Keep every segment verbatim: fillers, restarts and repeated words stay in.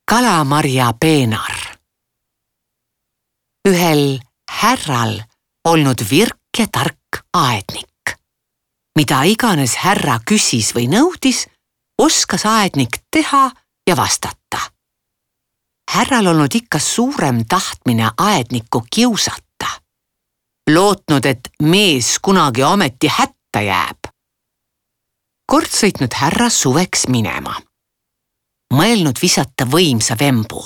Kalamarja peenar. Ühel härral olnud virk ja tark aednik. Mida iganes härra küsis või nõudis, oskas aednik teha ja vastata. Härral olnud ikka suurem tahtmine aednikku kiusata. Lootnud, et mees kunagi ometi hätta jääb. Kord sõitnud härra suveks minema. Mõelnud visata võimsa vembu.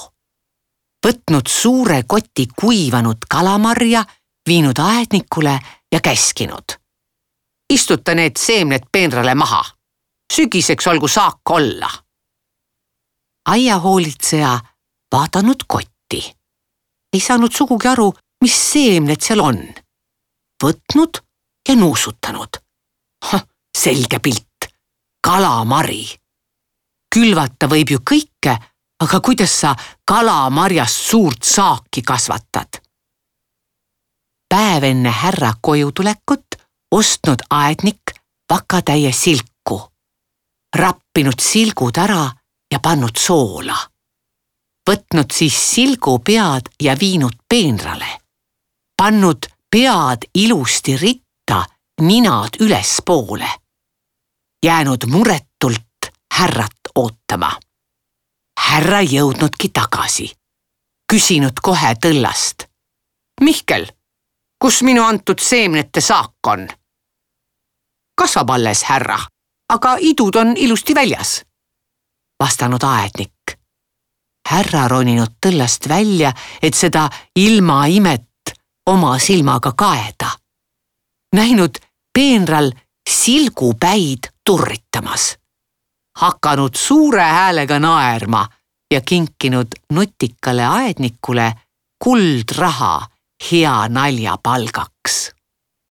Võtnud suure koti kuivanud kalamarja, viinud aednikule ja käskinud. Istuta need seemned peenrale maha. Sügiseks olgu saak olla. Aiahoolitseja vaadanud kotti. Ei saanud sugugi aru, mis seemned seal on. Võtnud ja nuusutanud. Selge pilt. Kalamari. Külvata võib ju kõike, aga kuidas sa kalamarjast suurt saaki kasvatad? Päev enne härra koju tulekut ostnud aednik vakatäie silku. Rappinud silgud ära ja pannud soola. Võtnud siis silgu pead ja viinud peenrale. Pannud pead ilusti ritta, ninad ülespoole. Jäänud muretult härrat ootama. Härra jõudnudki tagasi. Küsinud kohe tõllast. Mihkel, kus minu antud seemnete saak on? Kasvab alles, härra, aga idud on ilusti väljas. Vastanud aednik. Härra roninud tõllast välja, et seda ilma imet oma silmaga kaeda. Näinud peenral silgupäid turritamas. Hakanud suure häälega naerma ja kinkinud nutikale aednikule kuldraha hea nalja palgaks.